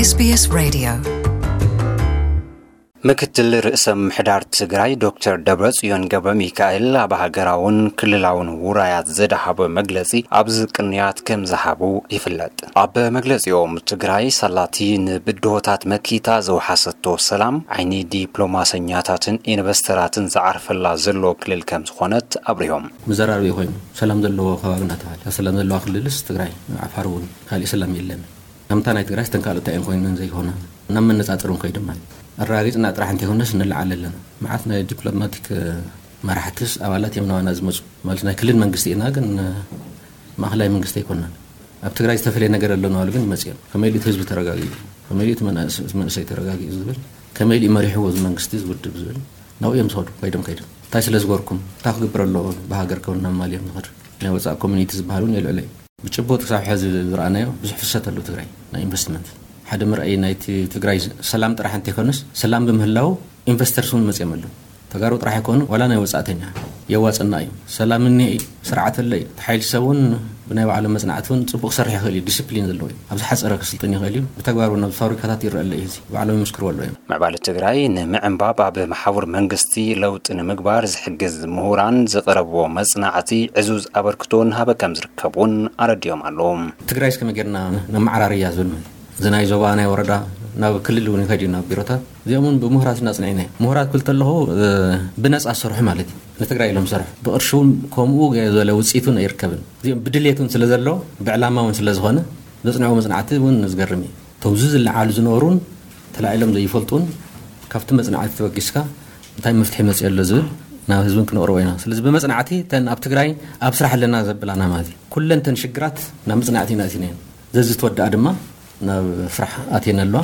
S B S Radio. ምክትል ርእሰ ምሕዳር ትግራይ ዶክተር ደብረጽዮን ገብረ ሚካኤል ኣብ ሃገራውን ክልላውን ውራያት ዘድሃቦ መግለጺ ኣብዚ ቅንያት ከም ዝሃቡ ይፍለጥ። ኣብ መግለጺኦም ትግራይ ሳላቲ ንብድሆታት መኪታ ዘውሓሰቶ ሰላም ዓይኒ ዲፕሎማሰኛታትን ኢንቨስተራትን ዝዓርፈላ ዘሎ ክልል ከም ዝኾነት ኣብሪሆም። መዘራረቢ ኮይኑ ሰላም ዘለዎ ከባቢ እናተባለ ሰላም ዘለዋ ክልልስ ትግራይ፣ ዓፋር እውን ካልእ ሰላም የለን። ከምታ ናይ ትግራይ ስተን ካልኦት እንታይ እዮም ኮይነን ዘይኮነ ናብ መነፃፅር እውን ከይዱ ማለት ኣረጋጊፅና ጥራሕ እንተይኮነስ ንለዓል ኣለና። መዓት ናይ ዲፕሎማቲክ መራሕትስ ኣባላት እዮም ናባና ዝመፁ ማለት ናይ ክልል መንግስቲ ኢና ግን ማእኸላይ መንግስቲ ኣይኮናን። ኣብ ትግራይ ዝተፈለየ ነገር ኣሎ ናበሉ ግን ይመፅኦም። ከመይ ኢሉ እቲ ህዝቢ ተረጋጊኡ፣ ከመይ ኢሉ እቲ መናእስ- እቲ መንእሰይ ተረጋጊኡ ዝብል፣ ከመይ ኢሉ መሪሕዎ እዚ መንግስቲ ዝውድብ ዝብል ናብኡ እዮም ዝኸዱ። ከይዶም ከይዶም እንታይ ስለ ዝገርኩም እንታይ ክግብር ኣለዎ ብሃገር ከውን ናብ ማል እዮም ዝኸዱ። ናይ ወፃእ ኮሚኒቲ ዝበሃል እውን የልዕሎ እዩ። ብጭቡጥ ክሳብ ሕዚ ዝረኣናዮ ብዙሕ ፍሰት ኣለዎ ትግራይ ናይ ኢንቨስትመንት። ሓደ መርኣይ ናይቲ ትግራይ ሰላም ጥራሕ እንተይኮነስ ሰላም ብምህላው ኢንቨስተርስ እውን መፅኦም ኣለዉ። ተጋሩ ጥራሕ ኣይኮኑ ዋላ ናይ ወፃእተኛ የዋፅና እዩ። ሰላም እኒሀ እዩ፣ ስርዓት ኣሎ እዩ። እቲ ሓይሊ ሰብ እውን ብናይ ባዕሎም መፅናዕቲ እውን ፅቡቅ ክሰርሕ ይኽእል እዩ። ዲስፕሊን ዘለዎ እዩ። ኣብ ዝሓፀረ ክስልጥን ይኽእል እዩ። ብተግባር እውን ኣብ ፋብሪካታት ይረአ ኣሎ እዩ። እዚ ባዕሎም ይምስክርዎ ኣለዉ እዮም። ምዕባለ ትግራይ ንምዕንባብ ኣብ መሓውር መንግስቲ ለውጢ ንምግባር ዝሕግዝ ምሁራን ዝቕረብዎ መፅናዕቲ ዕዙዝ ኣበርክቶ እናሃበ ከም ዝርከብ እውን ኣረዲኦም ኣለዉ። ትግራይ እስከ መጌርና ነመዓራርያ ዝብል ማለት እዚ ናይ ዞባ ናይ ወረዳ ናብ ክልል እውን ይኸድ እዩ ናብ ቢሮታት እዚኦም እውን ብምሁራት እናፅንዒና እዩ። ምሁራት ክብል ተለኹ ብነፃ ዝሰርሑ ማለት እዩ። ንትግራይ ኢሎም ዝሰርሑ ብቕርሺ እውን ከምኡ ዝበለ ውፅኢት እውን ኣይርከብን። እዚኦም ብድሌት እውን ስለ ዘሎ ብዕላማ እውን ስለ ዝኾነ ዘፅንዕዎ መፅናዕቲ እውን ዝገርም እዩ። እቶም እዚ ዝለዓሉ ዝነበሩን ተላዒሎም ዘይፈልጡን ካብቲ መፅናዕቲ ተበጊስካ እንታይ መፍትሒ መፅኡ ኣሎ ዝብል ናብ ህዝብን ክነቕርቦ ኢና። ስለዚ ብመፅናዕቲ ተን ኣብ ትግራይ ኣብ ስራሕ ኣለና ዘብላና ማለት እዩ። ኩለን ተን ሽግራት ናብ መፅናዕቲ ኢና እቲናየን። ዘዚ ተወዳኣ ድማ ናብ ስራሕ ኣትየን ኣለዋ።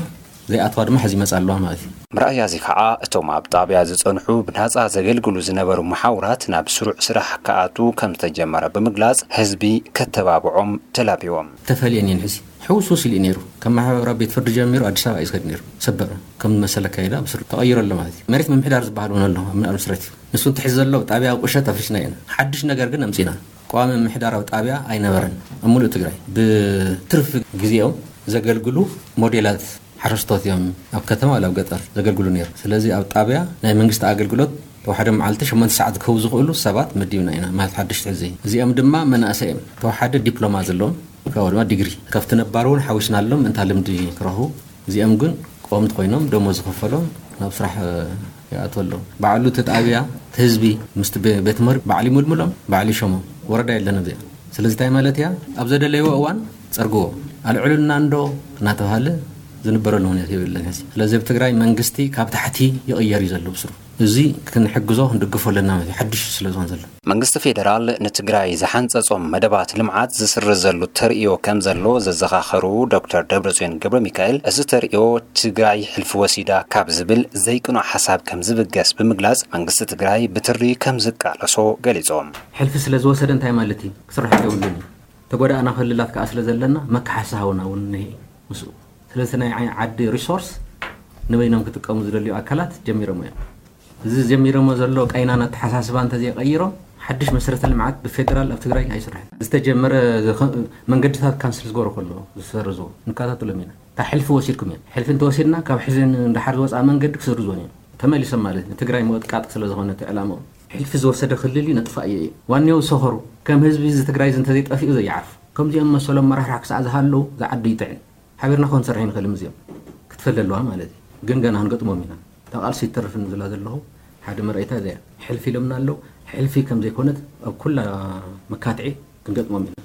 ዘይኣትዋ ድማ ሕዚ ይመፃ ኣለዋ ማለት እዩ። ምርኣያ እዚ ከዓ እቶም ኣብ ጣብያ ዝፀንሑ ብናፃ ዘገልግሉ ዝነበሩ መሓውራት ናብ ስሩዕ ስራሕ ክኣቱ ከም ዝተጀመረ ብምግላፅ ህዝቢ ከተባብዖም ተላቢዎም። ተፈልየን እየን ሕዚ ሕውስውስ ኢሉ እዩ ነይሩ። ከም ማሕበራዊ ቤት ፍርዲ ጀሚሩ ኣዲስ ኣበባ እዩ ዝኸድ ነይሩ። ሰበር ከም መሰለ ኣካይዳ ብስሩ ተቐይሩ ኣሎ ማለት እዩ። መሬት ምምሕዳር ዝበሃል እውን ኣሎ ኣብ ምንኣል መስረት እዩ። ንሱ እንትሕዝ ዘሎ ጣብያ ቁሸት ኣፍሪስና ኢና። ሓድሽ ነገር ግን ኣምፂና። ቀዋሚ ምምሕዳራዊ ጣብያ ኣይነበረን ኣብ ሙሉእ ትግራይ። ብትርፊ ግዜኦም ዘገልግሉ ሞዴላት ሓረስቶት እዮም ኣብ ከተማ ወላ ኣብ ገጠር ዘገልግሉ ነይሩ። ስለዚ ኣብ ጣብያ ናይ መንግስቲ ኣገልግሎት ተዋሕደ መዓልቲ ሸሞንተ ሰዓት ክህቡ ዝኽእሉ ሰባት መዲብና ኢና ማለት ሓድሽ ትሕዚ። እዚኦም ድማ መናእሰይ እዮም። ተዋሓደ ዲፕሎማ ዘለዎም ካብኡ ድማ ዲግሪ ካብቲ ነባር እውን ሓዊስናሎም እንታ ልምዲ ክረኽቡ። እዚኦም ግን ቆምቲ ኮይኖም ደሞዝ ዝኽፈሎም ናብ ስራሕ ይኣትወሎም። ባዕሉ እቲ ጣብያ እቲ ህዝቢ ምስቲ ቤ- ቤት ትምህርቲ ባዕሉ ይምልምሎም ባዕሉ ይሸሞም። ወረዳ የለን ኣብዚኣ። ስለዚ እንታይ ማለት እያ? ኣብ ዘደለይዎ እዋን ጸርግዎ ኣልዕሉና እንዶ እናተባሃለ ዝንበረሉ ሁኔታ የብለን ሕዚ። ስለዚ ኣብ ትግራይ መንግስቲ ካብ ታሕቲ ይቕየር እዩ ዘሎ ብስሩ። እዚ ክንሕግዞ ክንድግፎ ኣለና ማለት እዩ። ሓድሽ ስለ ዝኾነ ዘሎ መንግስቲ ፌደራል ንትግራይ ዝሓንጸጾም መደባት ልምዓት ዝስርዘሉ ተርእዮ ከም ዘሎ ዘዘኻኸሩ ዶክተር ደብረጽዮን ገብረ ሚካኤል፣ እዚ ተርእዮ ትግራይ ሕልፊ ወሲዳ ካብ ዝብል ዘይቅኑዕ ሓሳብ ከም ዝብገስ ብምግላጽ፣ መንግስቲ ትግራይ ብትሪ ከም ዝቃለሶ ገሊጾም። ሕልፊ ስለ ዝወሰደ እንታይ ማለት እዩ? ክስራሕ የብሉን እዩ። ተጎዳእና ክልላት ከዓ ስለ ዘለና መካሓሲ ሃውና እውን እኒሀ እዩ ምስኡ። ስለዚ ናይ ዓይ- ዓዲ ሪሶርስ ንበይኖም ክጥቀሙ ዝደልዩ ኣካላት ጀሚሮም እዮም። እዚ ጀሚሮሞ ዘሎ ቀይናን ኣተሓሳስባ እንተዘይቀይሮም ሓድሽ መሰረተ ልምዓት ብፌደራል ኣብ ትግራይ ኣይስርሕን። ዝተጀመረ ዝኸ- መንገድታት ካንስል ዝገበሩ ከሎ ዝሰርዝዎ ንከታተሎም ኢና። እታ ሕልፊ ወሲድኩም እዮም። ሕልፊ እንተወሲድና ካብ ሕዚ ንደሓር ዝወፅኣ መንገዲ ክስርዝዎን እዮም። ተመሊሶም ማለት ንትግራይ ምቕጥቃጥ ስለ ዝኾነ እቲ ዕላምኦም ሕልፊ ዝወሰደ ክልል እዩ ነጥፋእ እዩ እዩ ዋንየው ዝሰኸሩ ከም ህዝቢ እዚ ትግራይ እዚ እንተዘይጠፊኡ ዘይዓርፉ ከምዚኦም መሰሎም መራሕራሕ ክሳዕ ዝሃለዉ ዝዓዲ ይጥዕን። ሓቢርና ክንሰርሕ ንኽእል ምስዚኦም ክትፈለ ኣለዋ ማለት እዩ። ግን ገና ክንገጥሞም ኢና። እታ ቃልሲ ይተርፍን ዝላ ዘለኹ ሓደ መርኣይታ እዚኣ ሕልፊ ኢሎምና ኣለዉ። ሕልፊ ከም ዘይኮነት ኣብ ኩላ መካትዒ ክንገጥሞም ኢና።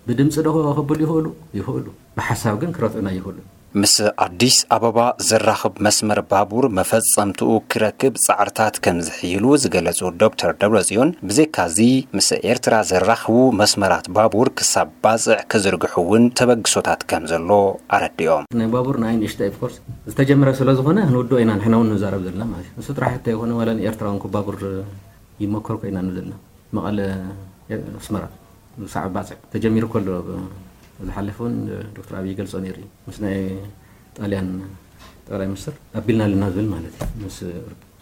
ብድምፂ ዶ ከብሉ ይኽእሉ? ይኽእሉ። ብሓሳብ ግን ክረትዑና ይኽእሉ። ምስ ኣዲስ ኣበባ ዘራኽብ መስመር ባቡር መፈጸምትኡ ክረክብ ጻዕርታት ከም ዝሕይሉ ዝገለጹ ዶክተር ደብረጽዮን፣ ብዘይካዚ ምስ ኤርትራ ዘራኽቡ መስመራት ባቡር ክሳብ ባጽዕ ክዝርግሑ እውን ተበግሶታት ከም ዘሎ ኣረዲኦም። ናይ ባቡር ንዓይ ንእሽተይ ኦፍኮርስ ዝተጀመረ ስለ ዝኾነ ክንውድኦ ኢና ንሕና እውን ንዛረብ ዘለና ማለት እዩ። ንሱ ጥራሕ እንተይኮነ ዋላ ንኤርትራ እውን ባቡር ይመከርኩ ኢና ንብል ዘለና። መቐለ ኣስመራ ሳዕ ባፅዕ ተጀሚሩ ከሎ ዝሓለፈ እውን ዶክተር ኣብይ ይገልፆ ነይሩ እዩ ምስ ናይ ጣልያን ጠቅላይ ሚኒስትር ኣቢልና ኣለና ዝብል ማለት እዩ ምስ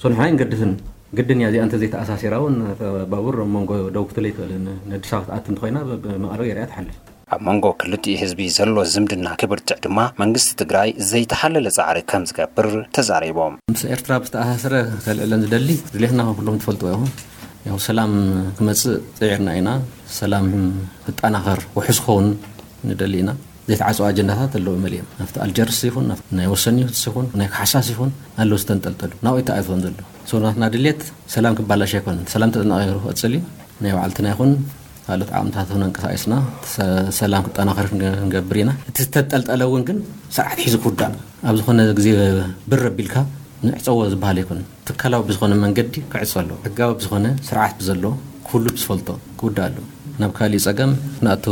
ሶ ንሕና ንገድስን ግድን እያ እዚኣ እንተዘይተኣሳሲራ እውን ባቡር ኣብ መንጎ ደቡብ ክትለይ ትኽእል ነዲስ ኣበባ ክትኣት እንተኮይና ብመቐለ ገይራ እያ ትሓልፍ ኣብ መንጎ ክልቲኡ ህዝቢ ዘሎ ዝምድና ክብርትዕ ድማ መንግስቲ ትግራይ ዘይተሓለለ ፃዕሪ ከም ዝገብር ተዛሪቦም። ምስ ኤርትራ ብዝተኣሳሰረ ከልዕለን ዝደሊ ድሌትና ከም ኩሎም ትፈልጥዎ ኢኹም። ያው ሰላም ክመጽእ ጽዒርና ኢና። ሰላም ክጠናኸር ውሑስ ክኸውን ንደሊ ኢና። ዘይተዓጽዋ ኣጀንዳታት ኣለዉ መሊኦም። ኣብቲ ኣልጀርስ ይኹን፣ ኣብቲ ናይ ወሰን ይሁትስ ይኹን፣ ናይ ካሕሳስ ይኹን ኣለዉ ዝተንጠልጠሉ። ናብኡ ይተኣትወን ዘሎ። ሰው ናትና ድሌት ሰላም ክባላሽ ኣይኮነን። ሰላም ተጠናቒሩ ክቕጽል እዩ። ናይ ባዕልትና ይኹን ካልኦት ዓቕምታት እውን ኣንቀሳቒስና ሰ-፣ ሰላም ክጠናኸር ክንገ-፣ ክንገብር ኢና። እቲ ዝተጠልጠለ እውን ግን ስርዓት ሒዙ ክውዳእ ኣብ ዝኾነ ግዜ ብር ኣቢልካ ንዕጸዎ ዝበሃል ኣይኮነን። ትካላዊ ብዝኾነ መንገዲ ክዕጾ ኣለዎ። ሕጋዊ ብዝኾነ ስርዓት ብዘለዎ ኩሉ ብዝፈልጦ ክውዳእ ኣለዎ። ናብ ካሊእ ጸገም ክንኣቱ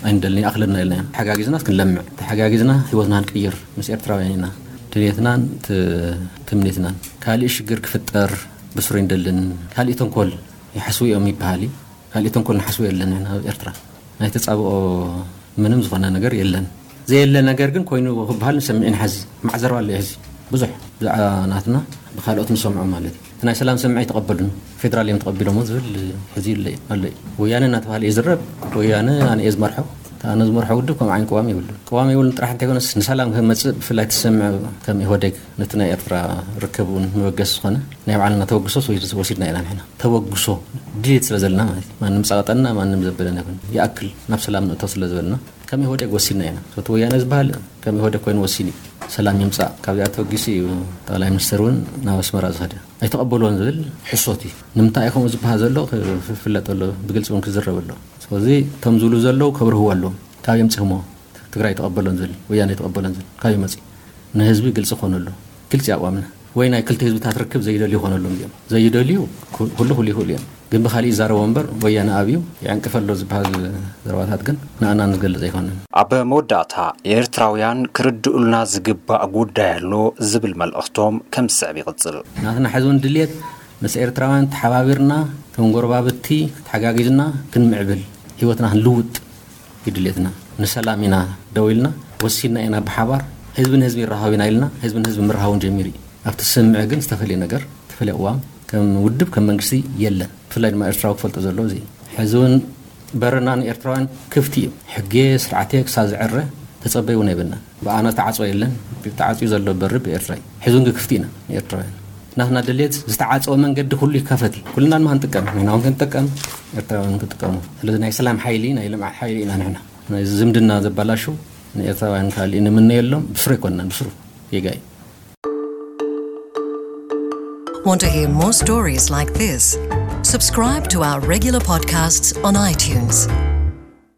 ኣይንደልን፣ ይኣኽለና ኢልና ኢና። ተሓጋጊዝና ክንለምዕ፣ ተሓጋጊዝና ህይወትና ክንቅይር ምስ ኤርትራውያን ኢና። ድሌትናን ት-፣ ትምኒትናን። ካሊእ ሽግር ክፍጠር ብስሩ ኣይንደልን። ካሊእ ተንኮል ይሓስቡ እዮም ይበሃል እዩ። ካሊእ ተንኮል ንሓስቡ የለን ኢና ኣብ ኤርትራ። ናይ ተጻብኦ ምንም ዝኾነ ነገር የለን። ዘየለ ነገር ግን ኮይኑ ክበሃል ንሰምዕ ኢና። ሕዚ ማዕዘርባ ኣሎ እዩ። ሕዚ ብዙሕ ብዛዕባ ናትና ብካልኦት ንሰምዖ ማለት እዩ። እቲ ናይ ሰላም ስምዒት ኣይተቐበሉን። ፌደራል እዮም ተቐቢሎሞ ዝብል ሕዚ ይለ-፣ ኣሎ እዩ። ወያነ እናተባህለ እዩ ዝረብ። ወያነ ኣነ እየ ዝመርሖ። እቲ ኣነ ዝመርሖ ውድብ ከምኡ ዓይነት ቅዋም የብሉን። ቅዋም የብሉን ጥራሕ እንተይኮነስ ንሰላም ከመጽእ ብፍላይ ትሰምዕ ከም ኢህወዴግ ነቲ ናይ ኤርትራ ርክብ እውን መበገሲ ዝኾነ ናይ ባዕልና ተበግሶ ወሲድ-፣ ወሲድና ኢና ንሕና። ተበግሶ ድሌት ስለ ዘለና ማለት እዩ። ማንም ጸቐጠና፣ ማንም ዘበለና ይኹን። ይኣክል ናብ ሰላም ንእቶ ስለ ዝበልና ከም ኢህወዴግ ወሲድና ኢና። እቲ ወያነ ዝበሃል ከም ኢህወዴግ ኮይኑ ወሲኑ እዩ። ሰላም ይምጻእ። ካብዚኣ ተበጊሱ እዩ ጠቕላይ ሚኒስትር እውን ናብ ኣስመራ ዝኸደ። ኣይተቐበልዎን ዝብል ሕሶት እዩ። ንምንታይ እዩ ከምኡ ዝበሃል ዘሎ ክፍለጥ ኣሎ፣ ብግልጺ እውን ክዝረብ ኣሎ። ስለዚ እቶም ዝብሉ ዘለዉ ከብርህዎ ኣለዎም። ካብ የምጽእሞ ትግራይ ተቐበሎን ዝብል፣ ወያነ ተቐበሎን ዝብል ካብ ይመጽእ ንህዝቢ ግልጺ ኮነሉ። ግልጺ ኣቋምና ወይ ናይ ክልተ ህዝብታት ርክብ ዘይደልዩ ኮነሎም እዮም። ዘይደልዩ ኩ-፣ ኩሉ ኩሉ ይኽእሉ እዮም። ግን ብኻሊእ ይዛረቦ እምበር ወያነ ኣብዩ ይዕንቅፈ ኣሎ ዝበሃል ዘረባታት ግን ንኣና ንዝገልጽ ኣይኮነን። ኣብ መወዳእታ ኤርትራውያን ክርድኡልና ዝግባእ ጉዳይ ኣሎ ዝብል መልእኽቶም ከም ዝስዕብ ይቕጽል። ናትና ሕዚ እውን ድልየት ምስ ኤርትራውያን ተሓባቢርና ከም ጎረባብቲ ተሓጋጊዝና ክንምዕብል ህይወትና ክንልውጥ ይድልየትና። ንሰላም ኢና ደው ኢልና፣ ወሲንና ኢና ብሓባር። ህዝቢ ንህዝቢ ይራኸብ ኢና ኢልና፣ ህዝቢ ንህዝቢ ምርሃውን ጀሚሩ እዩ። ኣብቲ ስምዕ ግን ዝተፈልየ ነገር፣ ዝተፈልየ ቅዋም ከም ውድብ፣ ከም መንግስቲ የለን። ብፍላይ ድማ ኤርትራዊ ክፈልጦ ዘለዎ እዚ እዩ። ሕዚ እውን በርና ንኤርትራውያን ክፍቲ እዩ። ሕጌ ስርዓቴ ክሳብ ዝዕረ ተጸበይ እውን ኣይብልና። ብኣና ተዓጽወ የለን። ተዓጽዩ ዘሎ በሪ ብኤርትራ እዩ። ሕዚ እውን ግን ክፍቲ ኢና ንኤርትራውያን። ናትና ድሌት ዝተዓጸወ መንገዲ ኩሉ ይከፈት እዩ። ኩልና ድማ ክንጥቀም፣ ንሕና እውን ክንጥቀም፣ ኤርትራውያን እውን ክጥቀሙ። ስለዚ ናይ ሰላም ሓይሊ፣ ናይ ልምዓት ሓይሊ ኢና ንሕና። ናይ ዝምድና ዘባላሹ ንኤርትራውያን ካልእ ንምነየሎም፣ ብስሩ ኣይኮንናን፣ ብስሩ ጌጋ እዩ። Want to hear more stories like this? Subscribe to our regular podcasts on iTunes.